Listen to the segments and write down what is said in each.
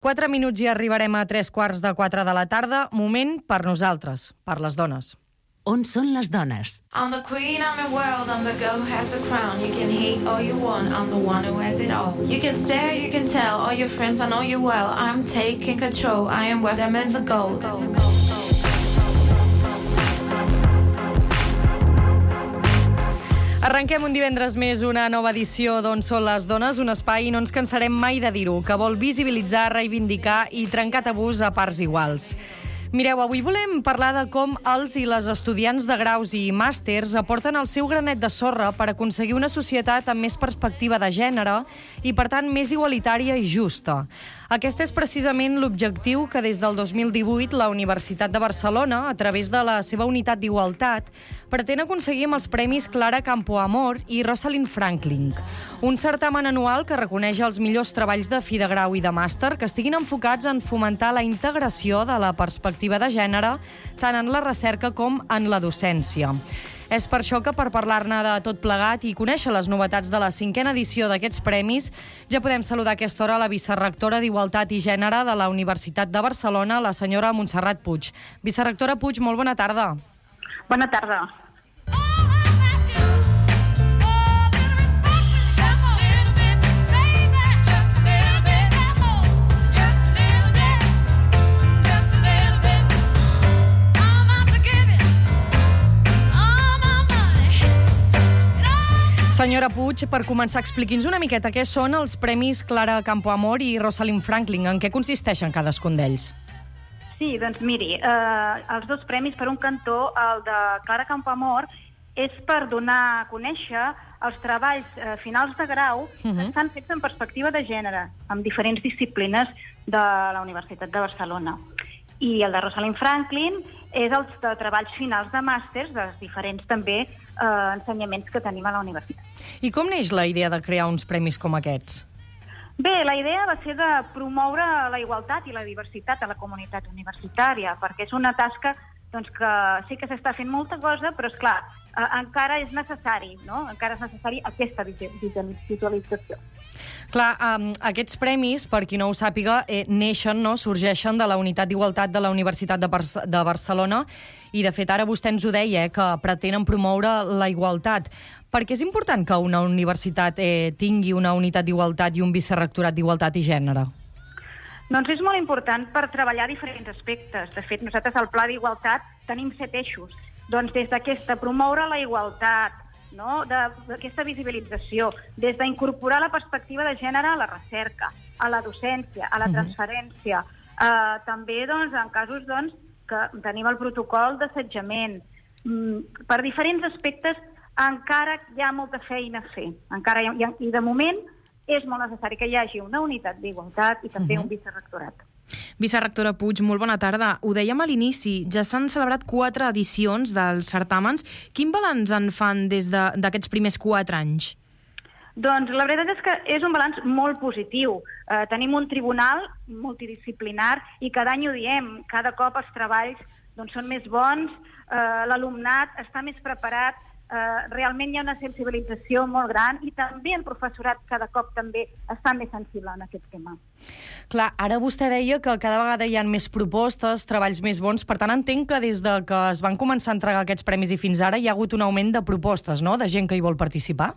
4 minuts i arribarem a 3:15 de la tarda. Moment per nosaltres, per les dones. On són les dones? I'm the queen, I'm your world, I'm the girl who has the crown. You can hate all you want, I'm the one who has it all. You can stare, you can tell, all your friends, I know you well. I'm taking control, I am worth diamonds of gold. Arrenquem un divendres més una nova edició d'On són les dones, un espai i no ens cansarem mai de dir-ho, que vol visibilitzar, reivindicar i trencar tabús a parts iguals. Mireu, avui volem parlar de com els i les estudiants de graus i màsters aporten el seu granet de sorra per aconseguir una societat amb més perspectiva de gènere i, per tant, més igualitària i justa. Aquest és precisament l'objectiu que des del 2018 la Universitat de Barcelona, a través de la seva unitat d'igualtat, pretén aconseguir amb els premis Clara Campoamor i Rosalind Franklin. Un certamen anual que reconeix els millors treballs de fi de grau i de màster que estiguin enfocats en fomentar la integració de la perspectiva de gènere tant en la recerca com en la docència. És per això que, per parlar-ne de tot plegat i conèixer les novetats de la 5a edició d'aquests premis, ja podem saludar a aquesta hora la vicerrectora d'Igualtat i Gènere de la Universitat de Barcelona, la senyora Montserrat Puig. Vicerrectora Puig, molt bona tarda. Bona tarda. Senyora Puig, per començar, expliqui'ns una miqueta què són els Premis Clara Campoamor i Rosalind Franklin, en què consisteixen cadascun d'ells? Sí, doncs miri, els dos premis, per un cantó, el de Clara Campoamor, és per donar a conèixer els treballs finals de grau que estan fets en perspectiva de gènere, amb diferents disciplines de la Universitat de Barcelona. I el de Rosalind Franklin és els de treballs finals de màsters, dels diferents també ensenyaments que tenim a la universitat. I com neix la idea de crear uns premis com aquests? Bé, la idea va ser de promoure la igualtat i la diversitat a la comunitat universitària, perquè és una tasca doncs, que sí que s'està fent molta cosa, però, esclar, encara és necessari, no? Encara és necessari aquesta visualització. Clar, aquests premis, per qui no ho sàpiga, neixen, no? Sorgeixen de la Unitat d'Igualtat de la Universitat de Barcelona i, de fet, ara vostè ens ho deia, que pretenen promoure la igualtat. Per què és important que una universitat tingui una unitat d'igualtat i un vicerrectorat d'Igualtat i Gènere? Doncs és molt important per treballar diferents aspectes. De fet, nosaltres al Pla d'Igualtat tenim 7 eixos. Doncs des d'aquesta, promoure la igualtat, no? D'aquesta visibilització, des d'incorporar la perspectiva de gènere a la recerca, a la docència, a la transferència, també doncs, en casos doncs, que tenim el protocol d'assetjament. Per diferents aspectes encara hi ha molta feina a fer. I de moment és molt necessari que hi hagi una unitat d'igualtat i també un vicerrectorat. Vicerrectora Puig, molt bona tarda. Ho dèiem a l'inici, ja s'han celebrat 4 edicions dels certàmens. Quin balanç en fan des d'aquests primers 4 anys? Doncs la veritat és que és un balanç molt positiu. Tenim un tribunal multidisciplinar i cada any ho diem. Cada cop els treballs doncs, són més bons, l'alumnat està més preparat, realment hi ha una sensibilització molt gran i també el professorat cada cop també està més sensible en aquest tema. Clar, ara vostè deia que cada vegada hi ha més propostes, treballs més bons, per tant entenc que des de que es van començar a entregar aquests premis i fins ara hi ha hagut un augment de propostes, no?, de gent que hi vol participar?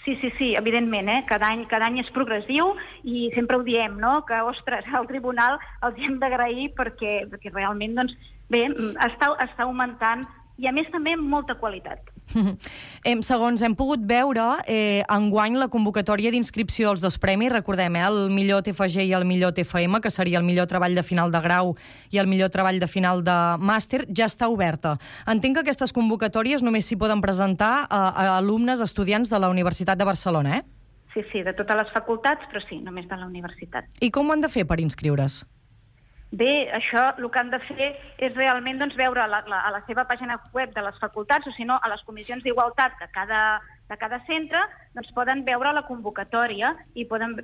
Sí, evidentment, cada any és progressiu i sempre ho diem, no?, que, ostres, al tribunal els hem d'agrair perquè realment, doncs, bé, està augmentant i, a més, també amb molta qualitat. Segons hem pogut veure, enguany la convocatòria d'inscripció als dos premis, recordem, el millor TFG i el millor TFM, que seria el millor treball de final de grau i el millor treball de final de màster, ja està oberta. Entenc que aquestes convocatòries només s'hi poden presentar a alumnes, estudiants de la Universitat de Barcelona, Sí, de totes les facultats, però sí, només de la universitat. I com ho han de fer per inscriure's? Bé, això el que han de fer és realment doncs, veure a la seva pàgina web de les facultats, o si no, a les comissions d'igualtat de cada centre, doncs poden veure la convocatòria i poden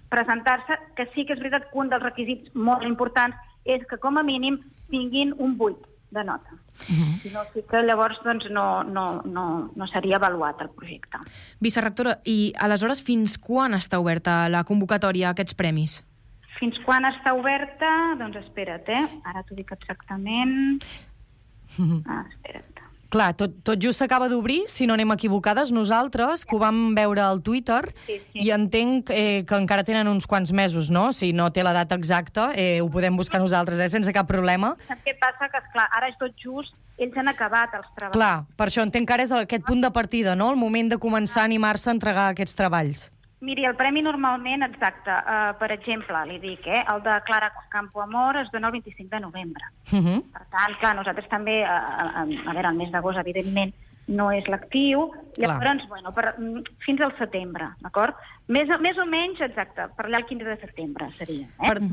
presentar-se, que sí que és veritat que un dels requisits molt importants és que com a mínim tinguin un 8 de nota. Si no, sí que llavors doncs, no seria avaluat el projecte. Vicerrectora, i aleshores fins quan està oberta la convocatòria a aquests premis? Fins quan està oberta? Doncs espera't, ara t'ho dic exactament. Espera't. Clar, tot just s'acaba d'obrir, si no anem equivocades, nosaltres, que ho vam veure al Twitter, i entenc que encara tenen uns quants mesos, no? Si no té la data exacta, ho podem buscar nosaltres, sense cap problema. Saps què passa? Que, esclar, ara és tot just, ells han acabat els treballs. Clar, per això entenc que ara és aquest punt de partida, no? El moment de començar a animar-se a entregar aquests treballs. Miri, el premi normalment, exacte, per exemple, li dic, el de Clara Campoamor es dona el 25 de novembre. Per tant, clar, nosaltres també, a veure, el mes d'agost, evidentment, no és l'actiu, llavors, bueno, fins al setembre, d'acord? Més o menys, exacte, per allà el 15 de setembre seria.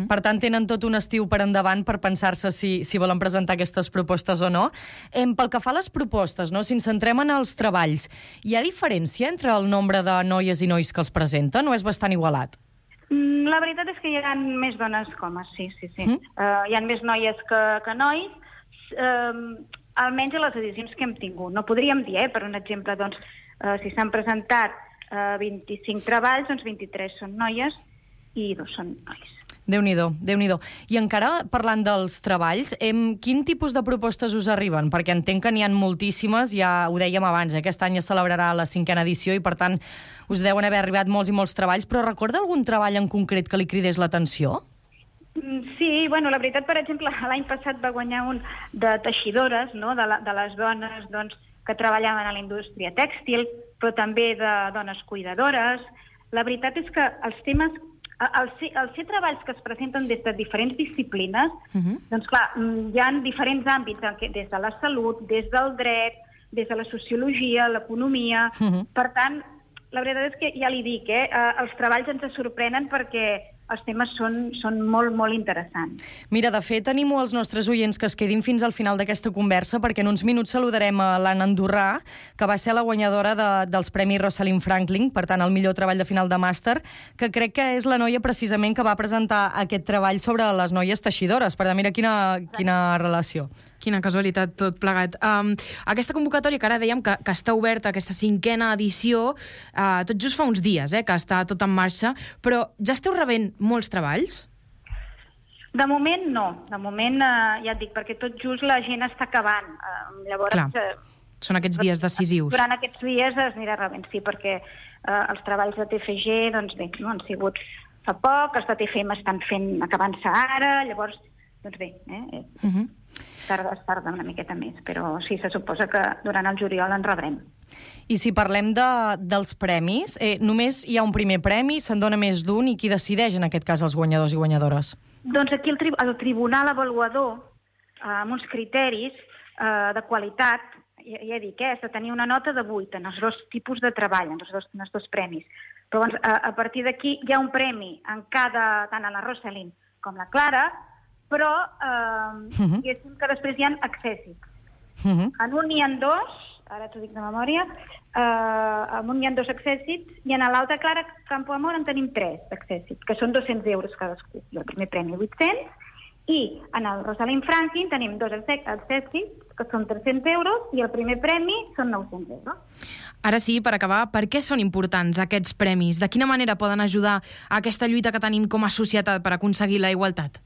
Per tant, tenen tot un estiu per endavant per pensar-se si volen presentar aquestes propostes o no. Pel que fa a les propostes, no? Si ens centrem en els treballs, hi ha diferència entre el nombre de noies i nois que els presenten o és bastant igualat? La veritat és que hi ha més dones que homes, sí. Hi ha més noies que nois, almenys a les edicions que hem tingut. No podríem dir, per un exemple, doncs, si s'han presentat 25 treballs, doncs 23 són noies i 2 són nois. Déu-n'hi-do, Déu-n'hi-do. I encara parlant dels treballs, quin tipus de propostes us arriben? Perquè entenc que n'hi ha moltíssimes, ja ho dèiem abans, aquest any es celebrarà la 5ª edició i, per tant, us deuen haver arribat molts i molts treballs, però recorda algun treball en concret que li cridés l'atenció? Sí, bueno, la veritat, per exemple, l'any passat va guanyar un de teixidores, no?, de les dones doncs, que treballaven a la indústria tèxtil, però també de dones cuidadores. La veritat és que els temes, els ser treballs que es presenten des de diferents disciplines, doncs clar, hi ha diferents àmbits, des de la salut, des del dret, des de la sociologia, l'economia. Per tant, la veritat és que ja li dic, els treballs ens sorprenen perquè els temes són molt, molt interessants. Mira, de fet, animo els nostres oients que es quedin fins al final d'aquesta conversa, perquè en uns minuts saludarem a l'Anna Andorrà, que va ser la guanyadora dels Premis Rosalind Franklin, per tant, el millor treball de final de màster, que crec que és la noia precisament que va presentar aquest treball sobre les noies teixidores. Per tant, mira quina relació. Quina casualitat, tot plegat. Aquesta convocatòria, que ara dèiem que està oberta, aquesta 5ª edició, tot just fa uns dies, que està tot en marxa, però ja esteu rebent molts treballs? De moment no. De moment, ja et dic, perquè tot just la gent està acabant. Llavors, clar, són aquests dies decisius. Durant aquests dies es anirà rebent, sí, perquè els treballs de TFG, doncs bé, no han sigut fa poc, els de TFM estan acabant-se ara, llavors, doncs bé, es tarda una miqueta més, però sí, se suposa que durant el juliol en rebrem. I si parlem dels premis, només hi ha un primer premi, se'n dona més d'un, i qui decideix en aquest cas els guanyadors i guanyadores? Doncs aquí el tribunal avaluador, amb uns criteris de qualitat, ja dic, és de tenir una nota de 8 en els 2 tipus de treball, en els dos premis. Però a partir d'aquí hi ha un premi en tant a la Rosalind com la Clara, però diguéssim que després hi ha accèssits. En un hi ha 2, ara t'ho dic de memòria, en un hi ha 2 accèssits, i en l'altra Clara Campoamor en tenim 3 accèssits, que són 200 euros cadascú. I el primer premi 800, i en el Rosalind Franklin tenim 2 accèssits, que són 300 euros, i el primer premi són 900 euros. Ara sí, per acabar, per què són importants aquests premis? De quina manera poden ajudar a aquesta lluita que tenim com a societat per aconseguir la igualtat?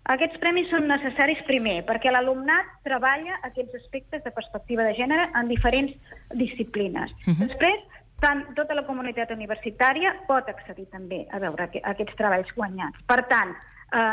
Aquests premis són necessaris, primer, perquè l'alumnat treballa aquests aspectes de perspectiva de gènere en diferents disciplines. Després, tota la comunitat universitària pot accedir també a veure aquests treballs guanyats. Per tant,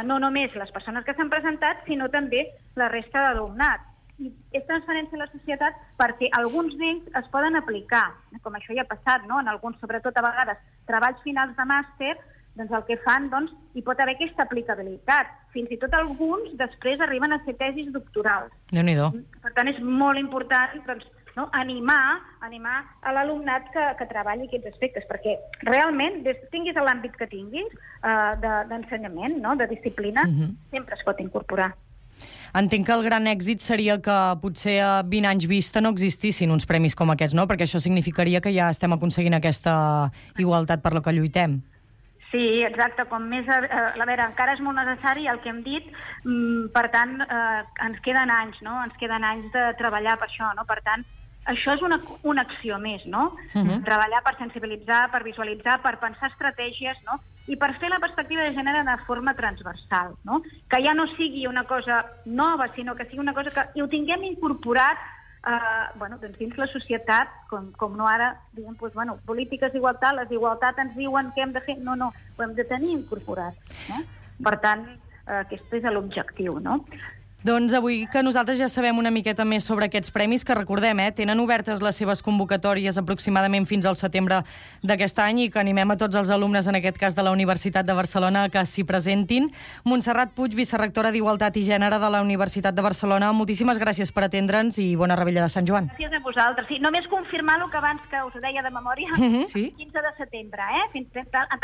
no només les persones que s'han presentat, sinó també la resta d'alumnat. I és transferència a la societat perquè alguns d'ells es poden aplicar, com això ja ha passat, no? En alguns, sobretot a vegades, treballs finals de màster, doncs el que fan, doncs, hi pot haver aquesta aplicabilitat. Fins i tot alguns després arriben a ser tesis doctorals. Déu-n'hi-do. Per tant, és molt important, doncs, no? animar a l'alumnat que treballi aquests aspectes, perquè realment, tinguis l'àmbit que tinguis d'ensenyament, no? De disciplina, sempre es pot incorporar. Entenc que el gran èxit seria que potser a 20 anys vista no existissin uns premis com aquests, no? Perquè això significaria que ja estem aconseguint aquesta igualtat per la que lluitem. Sí, exacte. Com més... A veure, encara és molt necessari el que hem dit, per tant, ens queden anys, no? Ens queden anys de treballar per això, no? Per tant, això és una acció més, no? Treballar per sensibilitzar, per visualitzar, per pensar estratègies, no? i per fer la perspectiva de gènere de forma transversal, no? Que ja no sigui una cosa nova, sinó que sigui una cosa que ho tinguem incorporat doncs dins la societat, com no ara, diguem, polítiques d'igualtat, les d'igualtat ens diuen què hem de fer. No, ho hem de tenir incorporat. No? Per tant, aquest és l'objectiu, no? Doncs avui que nosaltres ja sabem una miqueta més sobre aquests premis, que recordem, tenen obertes les seves convocatòries aproximadament fins al setembre d'aquest any i que animem a tots els alumnes, en aquest cas de la Universitat de Barcelona, que s'hi presentin. Montserrat Puig, vicerectora d'Igualtat i Gènere de la Universitat de Barcelona, moltíssimes gràcies per atendre'ns i bona revetlla de Sant Joan. Gràcies a vosaltres. Sí, només confirmar el que abans que us deia de memòria, sí? 15 de setembre,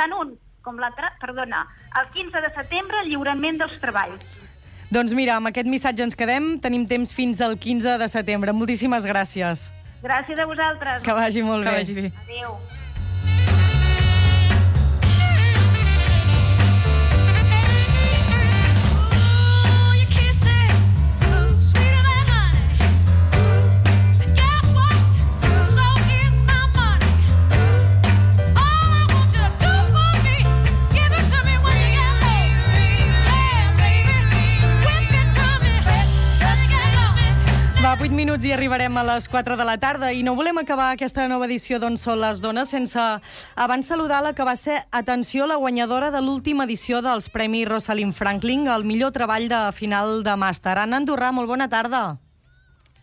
tant un com l'altre, perdona, el 15 de setembre, lliurament dels treballs. Doncs mira, amb aquest missatge ens quedem. Tenim temps fins al 15 de setembre. Moltíssimes gràcies. Gràcies a vosaltres. Que vagi molt bé. Que vagi bé. Adéu. Va, 8 minuts i arribarem a les 4 de la tarda i no volem acabar aquesta nova edició d'On són les dones sense abans saludar la que va ser, atenció, la guanyadora de l'última edició dels Premis Rosalind Franklin, el millor treball de final de màster. Anna Andorrà, molt bona tarda.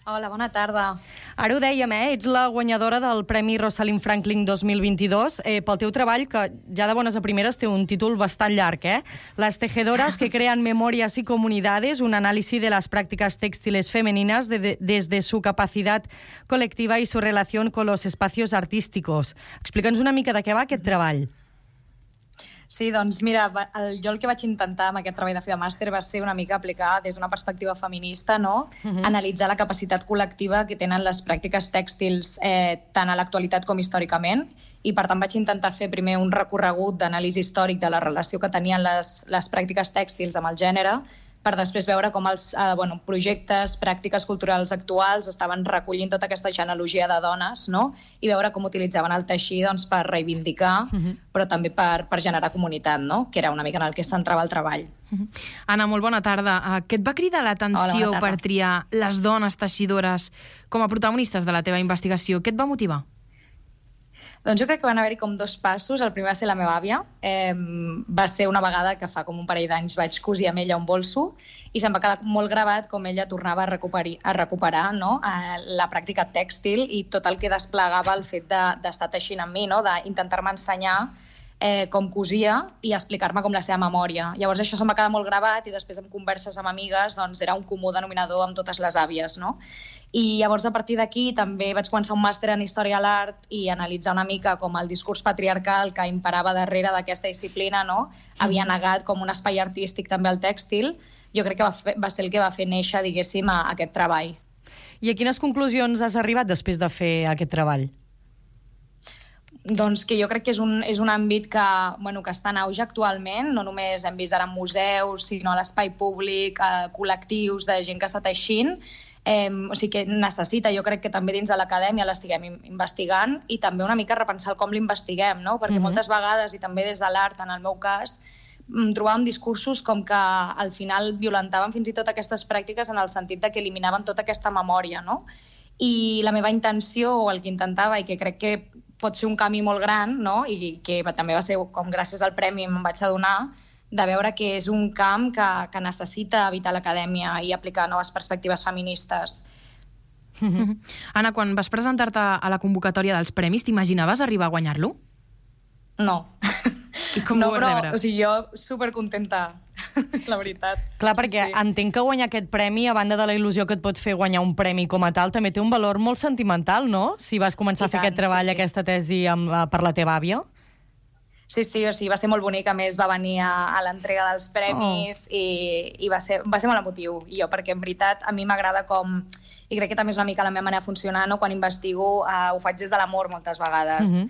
Hola, bona tarda. Ara ho dèiem, ets la guanyadora del Premi Rosalind Franklin 2022 pel teu treball, que ja de bones a primeres té un títol bastant llarg, Las tejedoras que crean memorias y comunidades, un análisis de las prácticas textiles femeninas desde su capacidad colectiva y su relación con los espacios artísticos. Explica'ns una mica de què va aquest treball. Sí, doncs mira, jo el que vaig intentar amb aquest treball de fi de màster va ser una mica aplicar des d'una perspectiva feminista, no? Analitzar la capacitat col·lectiva que tenen les pràctiques tèxtils tant a l'actualitat com històricament, i per tant vaig intentar fer primer un recorregut d'anàlisi històric de la relació que tenien les pràctiques tèxtils amb el gènere, per després veure com els projectes, pràctiques culturals actuals estaven recollint tota aquesta genealogia de dones, no? I veure com utilitzaven el teixit per reivindicar, però també per generar comunitat, no? Que era una mica en el que es centrava el treball. Anna, molt bona tarda. Què et va cridar l'atenció per triar les dones teixidores com a protagonistes de la teva investigació? Què et va motivar? Doncs jo crec que van haver-hi com dos passos. El primer va ser la meva àvia. Va ser una vegada que fa com un parell d'anys vaig cosir amb ella un bolso i se'm va quedar molt gravat com ella tornava a recuperar no? La pràctica tèxtil i tot el que desplegava el fet d'estar teixint amb mi, no? D'intentar-me ensenyar com cosia i explicar-me com la seva memòria. Llavors això se'm va quedar molt gravat i després en converses amb amigues doncs era un comú denominador amb totes les àvies, no? I llavors a partir d'aquí també vaig començar un màster en Història de l'Art i analitzar una mica com el discurs patriarcal que imperava darrere d'aquesta disciplina, no? Havia negat com un espai artístic també al tèxtil. Jo crec que va ser el que va fer néixer, diguéssim, aquest treball. I a quines conclusions has arribat després de fer aquest treball? Doncs que jo crec que és un àmbit que està en auge actualment, no només hem vist ara en museus, sinó a l'espai públic, col·lectius de gent que està teixint, o sigui que necessita, jo crec que també dins de l'acadèmia l'estiguem investigant i també una mica repensar com l'investiguem, no? Perquè moltes vegades, i també des de l'art, en el meu cas, trobàvem discursos com que al final violentaven fins i tot aquestes pràctiques en el sentit de que eliminaven tota aquesta memòria, no? I la meva intenció, o el que intentava, i que crec que pot ser un camí molt gran, no? I que també va ser com gràcies al premi me'n vaig adonar, de veure que és un camp que necessita evitar l'acadèmia i aplicar noves perspectives feministes. Anna, quan vas presentar-te a la convocatòria dels premis, t'imaginaves arribar a guanyar-lo? No. I com ho vas rebre? O sigui, jo supercontenta, la veritat. Clar, perquè entenc que guanyar aquest premi, a banda de la il·lusió que et pot fer guanyar un premi com a tal, també té un valor molt sentimental, no? Si vas començar a fer aquest treball, aquesta tesi per la teva àvia. Sí, o sigui, va ser molt bonic. A més, va venir a l'entrega dels premis i va ser molt emotiu. I jo, perquè en veritat a mi m'agrada com... I crec que també és una mica la meva manera de funcionar, no? Quan investigo ho faig des de l'amor moltes vegades,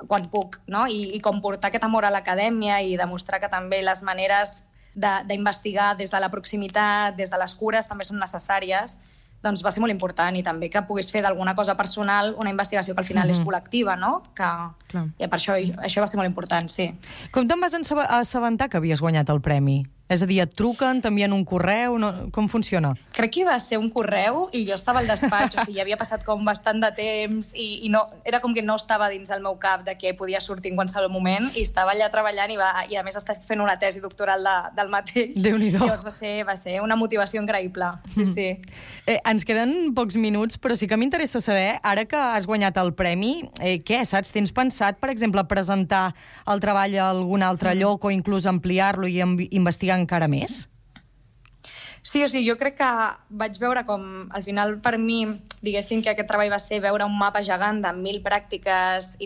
quan puc, no? I com portar aquest amor a l'acadèmia i demostrar que també les maneres d'investigar des de la proximitat, des de les cures, també són necessàries. doncs va ser molt important, i també que pogués fer d'alguna cosa personal una investigació que al final és col·lectiva, no? I per això va ser molt important, sí. Com te'n vas assabentar que havies guanyat el premi? És a dir, et truquen, t'envien un correu? Com funciona? Crec que va ser un correu i jo estava al despatx, o sigui, havia passat com bastant de temps i no, era com que no estava dins el meu cap de que podia sortir en qualsevol moment, i estava allà treballant i a més estava fent una tesi doctoral del mateix. Déu-n'hi-do. Llavors va ser una motivació increïble, sí. Ens queden pocs minuts, però sí que m'interessa saber, ara que has guanyat el premi, què, saps? Tens pensat, per exemple, presentar el treball a algun altre lloc o inclús ampliar-lo i investigar encara més? Sí, o sigui, jo crec que vaig veure com, al final, per mi, diguéssim que aquest treball va ser veure un mapa gegant de 1.000 pràctiques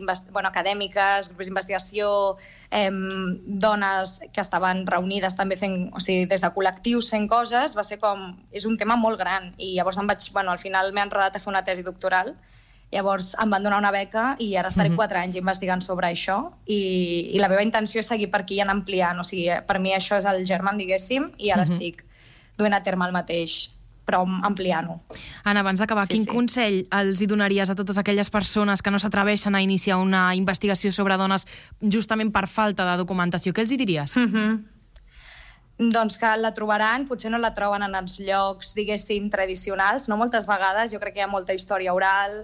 acadèmiques, grups d'investigació, dones que estaven reunides també fent, o sigui, des de col·lectius fent coses, va ser com, és un tema molt gran, i llavors al final m'he enredat a fer una tesi doctoral. Llavors em van donar una beca i ara estaré 4 anys investigant sobre això, i la meva intenció és seguir per aquí i anar ampliant. O sigui, per mi això és el germen, diguéssim, i ara estic duent a terme el mateix, però ampliant-ho. Anna, abans d'acabar, quin consell els hi donaries a totes aquelles persones que no s'atreveixen a iniciar una investigació sobre dones justament per falta de documentació? Què els hi diries? Doncs que la trobaran, potser no la troben en els llocs, diguéssim, tradicionals. No moltes vegades, jo crec que hi ha molta història oral,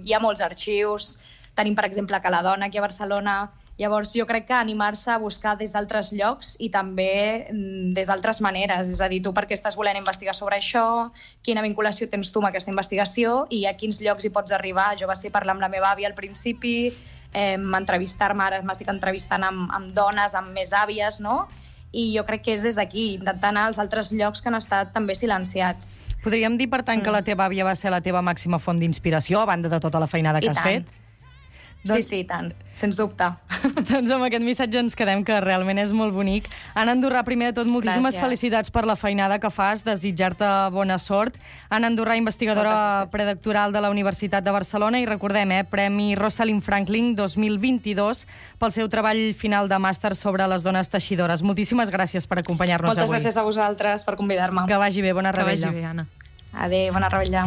hi ha molts arxius, tenim, per exemple, Cala Dona aquí a Barcelona. Llavors, jo crec que animar-se a buscar des d'altres llocs i també des d'altres maneres. És a dir, tu per què estàs volent investigar sobre això, quina vinculació tens tu amb aquesta investigació i a quins llocs hi pots arribar. Jo vaig parlar amb la meva àvia al principi, entrevistar-me, ara m'estic entrevistant amb dones, amb més àvies, no? I jo crec que és des d'aquí, intentar anar als altres llocs que han estat també silenciats. Podríem dir, per tant, que la teva àvia va ser la teva màxima font d'inspiració, a banda de tota la feinada que has fet? Sí, i tant, sens dubte. Doncs amb aquest missatge ens quedem, que realment és molt bonic. Anna Andorrà, primer de tot, moltíssimes felicitats per la feinada que fas, desitjar-te bona sort. Anna Andorrà, investigadora predoctoral de la Universitat de Barcelona, i recordem, Premi Rosalind Franklin 2022 pel seu treball final de màster sobre les dones teixidores. Moltíssimes gràcies per acompanyar-nos avui. Moltes gràcies a vosaltres per convidar-me. Que vagi bé, bona rebella. Que vagi bé, Anna. Adéu, bona rebella.